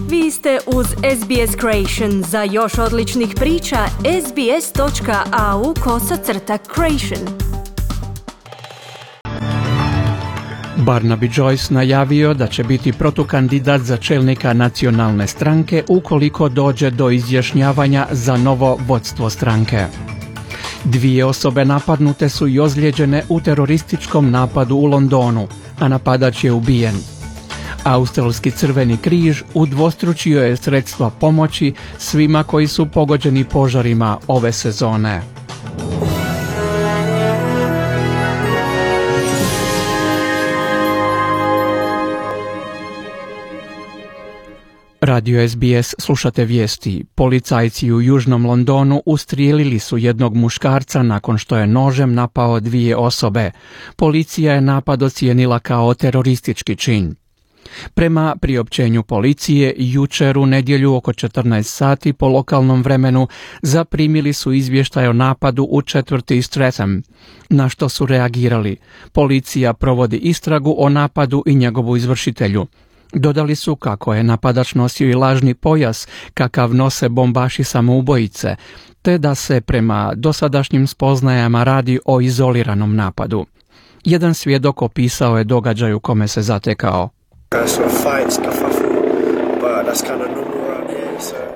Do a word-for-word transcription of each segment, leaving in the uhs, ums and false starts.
Vi ste uz S B S Creation. Za još odličnih priča, sbs.au kosacrta creation. Barnaby Joyce najavio da će biti protukandidat za čelnika nacionalne stranke ukoliko dođe do izjašnjavanja za novo vodstvo stranke. Dvije osobe napadnute su i ozlijeđene u terorističkom napadu u Londonu, a napadač je ubijen. Australski Crveni križ udvostručio je sredstva pomoći svima koji su pogođeni požarima ove sezone. Radio S B S slušate vijesti. Policajci u Južnom Londonu ustrijelili su jednog muškarca nakon što je nožem napao dvije osobe. Policija je napad ocijenila kao teroristički čin. Prema priopćenju policije, jučer u nedjelju oko četrnaest sati po lokalnom vremenu zaprimili su izvještaj o napadu u četvrti Streatham, na što su reagirali. Policija provodi istragu o napadu i njegovu izvršitelju. Dodali su kako je napadač nosio i lažni pojas kakav nose bombaši samoubojice, te da se prema dosadašnjim spoznajama radi o izoliranom napadu. Jedan svjedok opisao je događaj u kome se zatekao.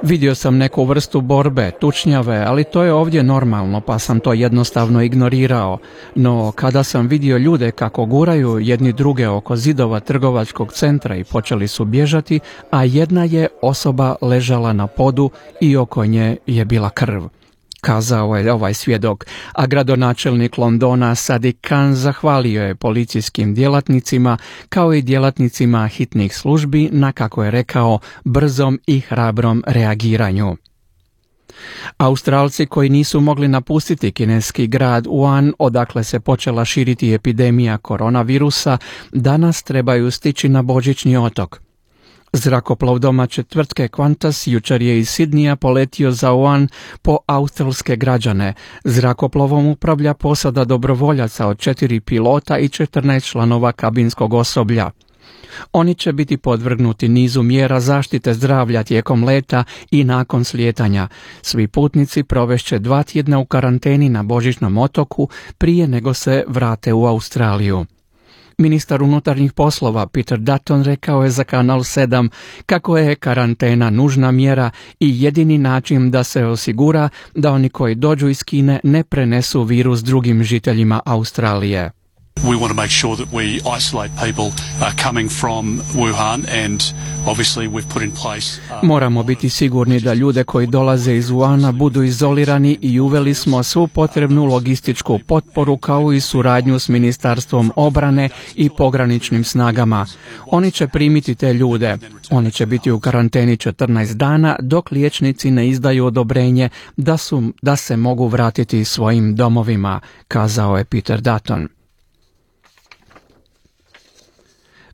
Vidio sam neku vrstu borbe, tučnjave, ali to je ovdje normalno, pa sam to jednostavno ignorirao. No, kada sam vidio ljude kako guraju jedni druge oko zidova trgovačkog centra i počeli su bježati, a jedna je osoba ležala na podu i oko nje je bila krv, kazao je ovaj svjedok, a gradonačelnik Londona Sadiq Khan zahvalio je policijskim djelatnicima kao i djelatnicima hitnih službi na, kako je rekao, brzom i hrabrom reagiranju. Australci koji nisu mogli napustiti kineski grad Wuhan, odakle se počela širiti epidemija koronavirusa, danas trebaju stići na Božićni otok. Zrakoplov domaće tvrtke Qantas jučer je iz Sidnija poletio za Wuhan po australske građane. Zrakoplovom upravlja posada dobrovoljaca od četiri pilota i četrnaest članova kabinskog osoblja. Oni će biti podvrgnuti nizu mjera zaštite zdravlja tijekom leta i nakon slijetanja. Svi putnici provešće dva tjedna u karanteni na Božićnom otoku prije nego se vrate u Australiju. Ministar unutarnjih poslova Peter Dutton rekao je za Kanal sedam kako je karantena nužna mjera i jedini način da se osigura da oni koji dođu iz Kine ne prenesu virus drugim žiteljima Australije. We want to make sure that we isolate people uh, coming from Wuhan and obviously we've put in place uh, Moramo biti sigurni da ljude koji dolaze iz Wuhana budu izolirani i uveli smo svu potrebnu logističku potporu kao i suradnju s Ministarstvom obrane i pograničnim snagama. Oni će primiti te ljude. Oni će biti u karanteni četrnaest dana dok liječnici ne izdaju odobrenje da su da se mogu vratiti svojim domovima, kazao je Peter Dutton.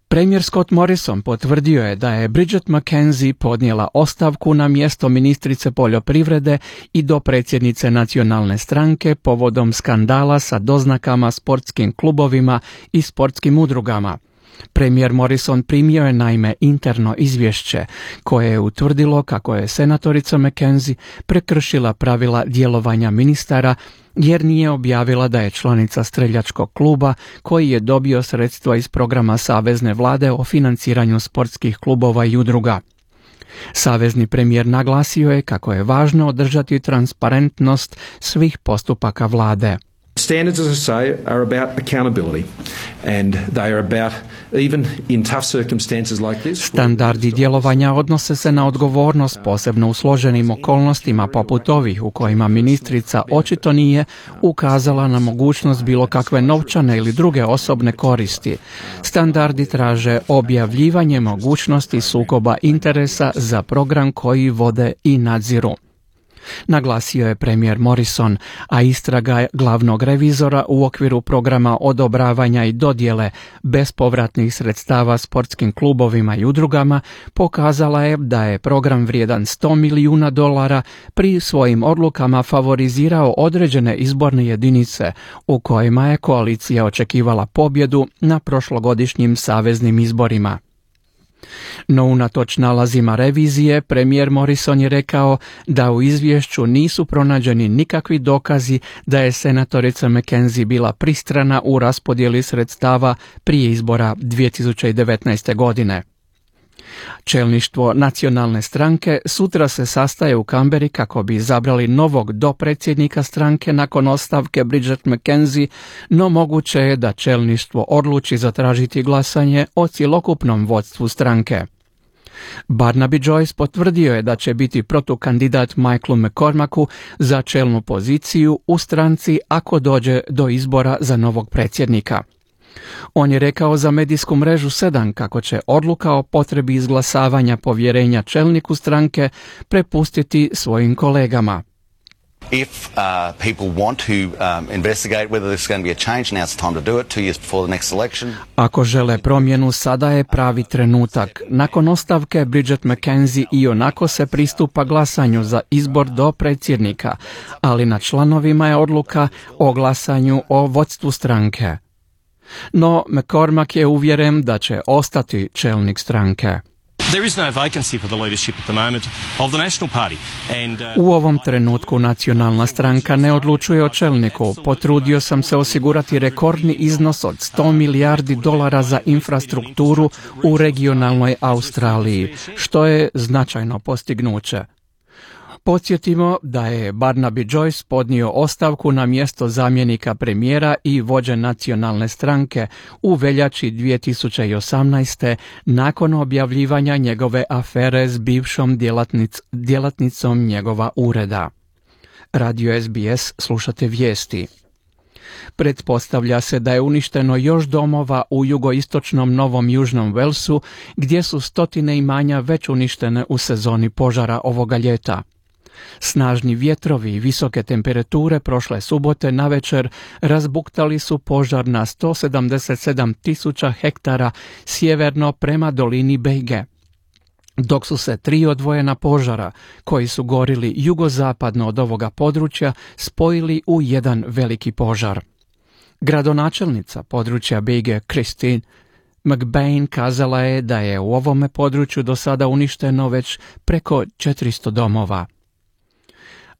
Premijer Scott Morrison potvrdio je da je Bridget McKenzie podnijela ostavku na mjesto ministrice poljoprivrede i dopredsjednice nacionalne stranke povodom skandala sa doznakama sportskim klubovima i sportskim udrugama. Premijer Morrison primio je naime interno izvješće koje je utvrdilo kako je senatorica McKenzie prekršila pravila djelovanja ministara jer nije objavila da je članica streljačkog kluba koji je dobio sredstva iz programa savezne vlade o financiranju sportskih klubova i udruga. Savezni premijer naglasio je kako je važno održati transparentnost svih postupaka vlade. Standards, as I say, are about accountability and they are about, even in tough circumstances like this. Standardi djelovanja odnose se na odgovornost, posebno u složenim okolnostima poput ovih u kojima ministrica očito nije ukazala na mogućnost bilo kakve novčane ili druge osobne koristi. Standardi traže objavljivanje mogućnosti sukoba interesa za program koji vode i nadziru, naglasio je premijer Morrison, a istraga glavnog revizora u okviru programa odobravanja i dodjele bespovratnih sredstava sportskim klubovima i udrugama pokazala je da je program vrijedan sto milijuna dolara pri svojim odlukama favorizirao određene izborne jedinice u kojima je koalicija očekivala pobjedu na prošlogodišnjim saveznim izborima. No unatoč nalazima revizije, premijer Morrison je rekao da u izvješću nisu pronađeni nikakvi dokazi da je senatorica McKenzie bila pristrana u raspodjeli sredstava prije izbora dvije tisuće devetnaeste. godine. Čelništvo nacionalne stranke sutra se sastaje u Kamberi kako bi izabrali novog dopredsjednika stranke nakon ostavke Bridget McKenzie, no moguće je da čelništvo odluči zatražiti glasanje o cjelokupnom vodstvu stranke. Barnaby Joyce potvrdio je da će biti protukandidat Michaelu McCormacku za čelnu poziciju u stranci ako dođe do izbora za novog predsjednika. On je rekao za medijsku mrežu sedam kako će odluka o potrebi izglasavanja povjerenja čelniku stranke prepustiti svojim kolegama. If uh, people want to um, investigate whether there's going to be a change, now's the time to do it, two years before the next election. Ako žele promjenu, sada je pravi trenutak. Nakon ostavke Bridget McKenzie i onako se pristupa glasanju za izbor do predsjednika, ali na članovima je odluka o glasanju o vodstvu stranke. No, McCormack je uvjeren da će ostati čelnik stranke. There is no vacancy for the leadership at the moment of the National Party. And, uh... U ovom trenutku nacionalna stranka ne odlučuje o čelniku. Potrudio sam se osigurati rekordni iznos od sto milijardi dolara za infrastrukturu u regionalnoj Australiji, što je značajno postignuće. Podsjetimo da je Barnaby Joyce podnio ostavku na mjesto zamjenika premijera i vođe nacionalne stranke u veljači dvije tisuće osamnaeste. nakon objavljivanja njegove afere s bivšom djelatnic, djelatnicom njegova ureda. Radio S B S, slušate vijesti. Pretpostavlja se da je uništeno još domova u jugoistočnom Novom Južnom Walesu, gdje su stotine imanja već uništene u sezoni požara ovoga ljeta. Snažni vjetrovi i visoke temperature prošle subote navečer razbuktali su požar na sto sedamdeset sedam tisuća hektara sjeverno prema dolini Bejge, dok su se tri odvojena požara, koji su gorili jugozapadno od ovoga područja, spojili u jedan veliki požar. Gradonačelnica područja Bejge, Christine McBain, kazala je da je u ovome području do sada uništeno već preko četiristo domova.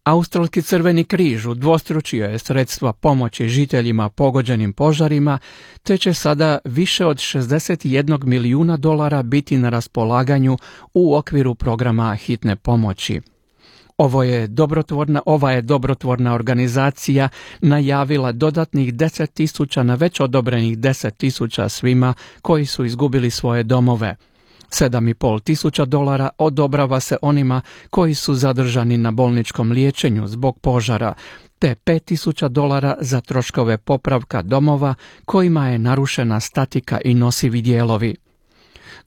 Australski Crveni križ udvostručio je sredstva pomoći žiteljima pogođenim požarima, te će sada više od šezdeset jedan milijuna dolara biti na raspolaganju u okviru programa hitne pomoći. Ovo je dobrotvorna, ova je dobrotvorna organizacija najavila dodatnih deset tisuća na već odobrenih deset tisuća svima koji su izgubili svoje domove. Sedam i pol tisuća dolara odobrava se onima koji su zadržani na bolničkom liječenju zbog požara, te pet tisuća dolara za troškove popravka domova kojima je narušena statika i nosivi dijelovi.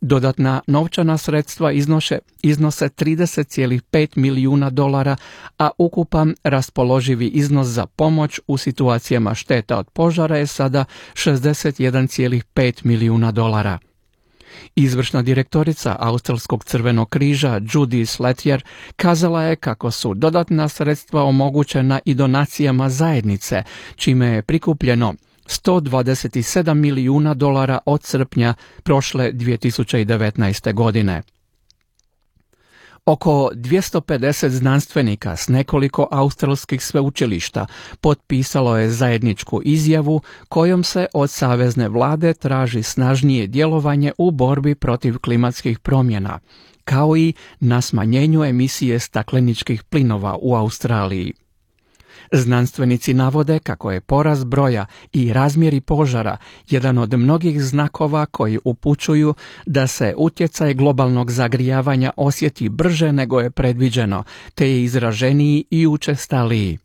Dodatna novčana sredstva iznose, iznose trideset zarez pet milijuna dolara, a ukupan raspoloživi iznos za pomoć u situacijama šteta od požara je sada šezdeset jedan zarez pet milijuna dolara. Izvršna direktorica Australskog Crvenog križa Judy Slatyer kazala je kako su dodatna sredstva omogućena i donacijama zajednice, čime je prikupljeno sto dvadeset sedam milijuna dolara od srpnja prošle dvije tisuće devetnaeste. godine. Oko dvjesto pedeset znanstvenika s nekoliko australskih sveučilišta potpisalo je zajedničku izjavu kojom se od savezne vlade traži snažnije djelovanje u borbi protiv klimatskih promjena, kao i na smanjenju emisije stakleničkih plinova u Australiji. Znanstvenici navode kako je porast broja i razmjeri požara jedan od mnogih znakova koji upućuju da se utjecaj globalnog zagrijavanja osjeti brže nego je predviđeno, te je izraženiji i učestaliji.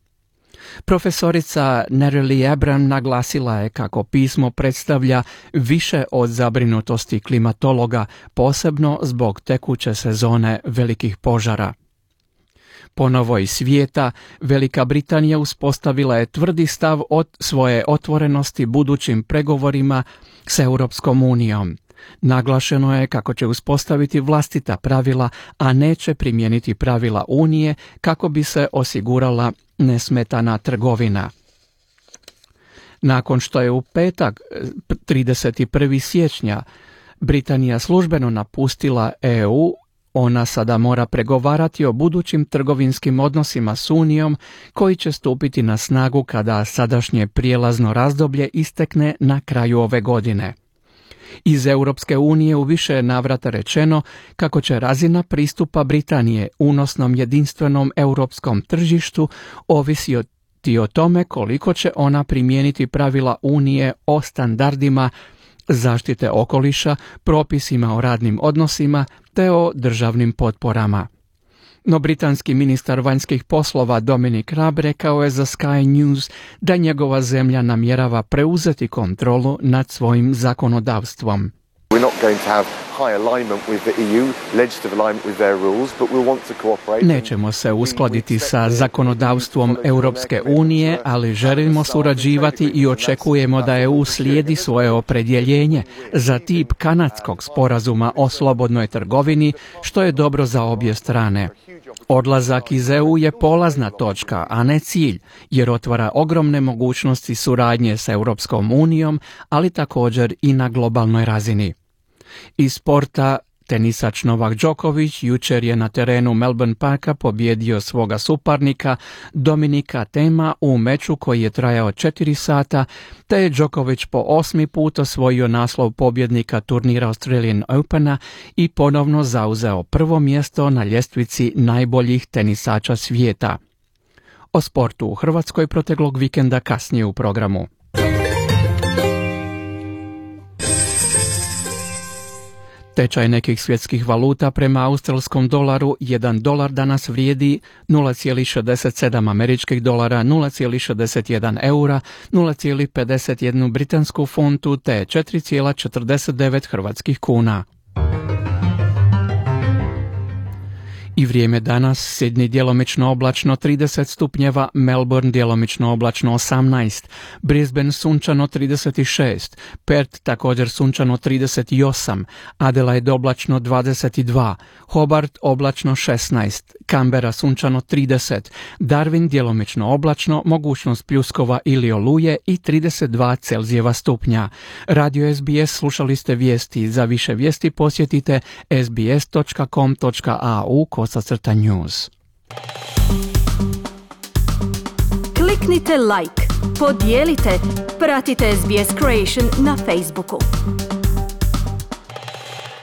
Profesorica Nereli Abram naglasila je kako pismo predstavlja više od zabrinutosti klimatologa, posebno zbog tekuće sezone velikih požara. Ponovo iz svijeta, Velika Britanija uspostavila je tvrdi stav od svoje otvorenosti budućim pregovorima s Europskom unijom. Naglašeno je kako će uspostaviti vlastita pravila, a neće primijeniti pravila Unije kako bi se osigurala nesmetana trgovina. Nakon što je u petak trideset prvog siječnja Britanija službeno napustila E U, ona sada mora pregovarati o budućim trgovinskim odnosima s Unijom koji će stupiti na snagu kada sadašnje prijelazno razdoblje istekne na kraju ove godine. Iz Europske unije u više navrata rečeno kako će razina pristupa Britanije unosnom jedinstvenom europskom tržištu ovisiti o tome koliko će ona primijeniti pravila Unije o standardima zaštite okoliša, propisima o radnim odnosima te o državnim potporama. No britanski ministar vanjskih poslova Dominic Raab rekao je za Sky News da njegova zemlja namjerava preuzeti kontrolu nad svojim zakonodavstvom. We're not going to have high alignment with the E U, legislative alignment with their rules, but we'll want to cooperate. Nećemo se uskladiti sa zakonodavstvom Europske unije, ali želimo surađivati i očekujemo da E U slijedi svoje opredjeljenje za tip kanadskog sporazuma o slobodnoj trgovini, što je dobro za obje strane. Odlazak iz E U je polazna točka, a ne cilj, jer otvara ogromne mogućnosti suradnje s Europskom unijom, ali također i na globalnoj razini. Iz sporta, tenisač Novak Đoković jučer je na terenu Melbourne Parka pobjedio svoga suparnika Dominika Thema u meču koji je trajao četiri sata, te je Đoković po osmi put osvojio naslov pobjednika turnira Australian Opena i ponovno zauzeo prvo mjesto na ljestvici najboljih tenisača svijeta. O sportu u Hrvatskoj proteklog vikenda kasnije u programu. Tečaj nekih svjetskih valuta prema australskom dolaru, jedan dolar danas vrijedi nula zarez šezdeset sedam američkih dolara, nula zarez šezdeset jedan eura, nula zarez pedeset jedan britansku funtu te četiri zarez četrdeset devet hrvatskih kuna. I vrijeme danas: Sydney djelomično oblačno trideset stupnjeva, Melbourne djelomično oblačno osamnaest, Brisbane sunčano trideset šest, Perth također sunčano trideset osam, Adelaide oblačno dvadeset dva, Hobart oblačno šesnaest, Canberra sunčano trideset, Darwin djelomično oblačno, mogućnost pljuskova ili oluje i trideset dva Celzijeva stupnja. Radio S B S slušali ste vijesti. Za više vijesti posjetite s b s dot com dot a u kosacrta news. Kliknite like, podijelite, pratite S B S Creation na Facebooku.